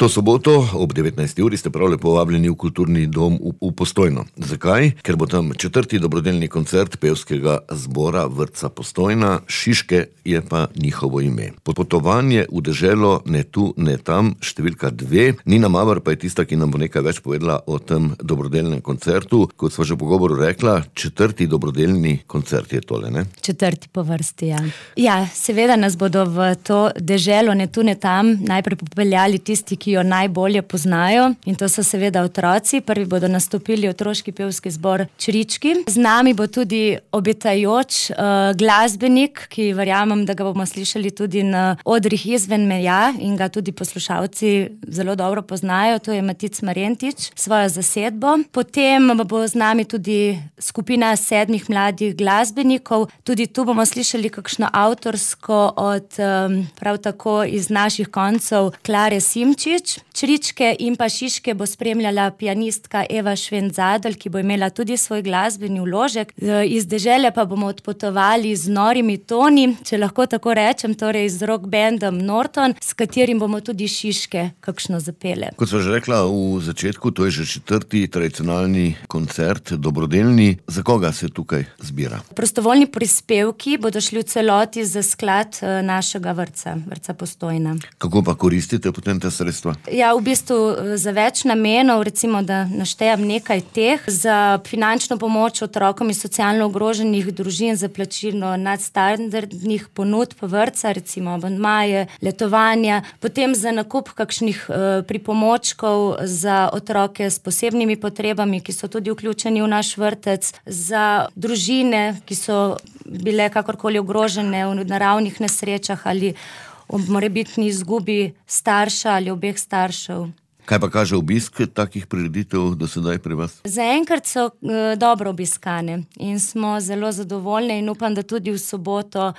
To soboto ob 19. uri ste prav lepo vabljeni v Kulturni dom v Postojno. Zakaj? Ker bo tam 4. dobrodelni koncert pevskega zbora Vrtca Postojna, Šiške je pa njihovo ime. Potovanje v deželo ne tu, ne tam, številka 2. Nina Maver pa je tista, ki nam bo nekaj več povedala o tem dobrodelnem koncertu. Kot sva že v pogovoru rekla, 4. dobrodelni koncert je tole, ne? 4. po vrsti, ja. Ja, seveda nas bodo v to deželo ne tu, ne tam najprej popeljali tisti, ki jo najbolje poznajo, in to so seveda otroci. Prvi bodo nastopili otroški pevski zbor Črički. Z nami bo tudi obetajoč glasbenik, ki verjamem, da ga bomo slišali tudi na odrih izven meja in ga tudi poslušalci zelo dobro poznajo. To je Matic Marjentič, svojo zasedbo. Potem bo z nami tudi skupina 7 mladih glasbenikov. Tudi tu bomo slišali kakšno avtorsko od prav tako iz naših koncev Klare Simčič. Čričke in pa Šiške bo spremljala pianistka Eva Švent-Zadelj, ki bo imela tudi svoj glasbeni vložek. Iz dežele pa bomo odpotovali z norimi toni, če lahko tako rečem, torej z rock bandom Norton, s katerim bomo tudi Šiške kakšno zapele. Kot sva že rekla v začetku, to je že 4. tradicionalni koncert, dobrodelni. Za koga se tukaj zbira? Prostovoljni prispevki bodo šli v celoti za sklad našega vrtca, Vrtca Postojna. Kako pa koristite potem te sredstva? Ja, v bistvu za več namenov, recimo, da naštejem nekaj teh, za finančno pomoč otrokom iz socialno ogroženih družin, za plačilo nadstandardnih ponudb vrtca, recimo abonmaje, letovanja, potem za nakup kakšnih pripomočkov za otroke s posebnimi potrebami, ki so tudi vključeni v naš vrtec, za družine, ki so bile kakorkoli ogrožene v naravnih nesrečah ali ob morebitni izgubi starša ali obeh staršev. Kaj pa kaže obisk takih prireditev do sedaj pri vas? Zaenkrat so dobro obiskane in smo zelo zadovoljni in upam, da tudi v soboto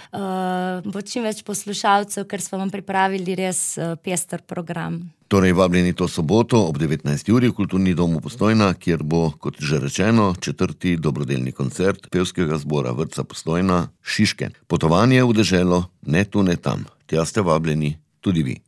bo čim več poslušalcev, ker smo vam pripravili res pester program. Torej vabljeni to soboto ob 19. uri v Kulturni dom v Postojna, kjer bo, kot že rečeno, 4. dobrodelni koncert pevskega zbora Vrtca Postojna, Šiške. Potovanje v deželo ne tu, ne tam. Tja ste vabljeni tudi vi.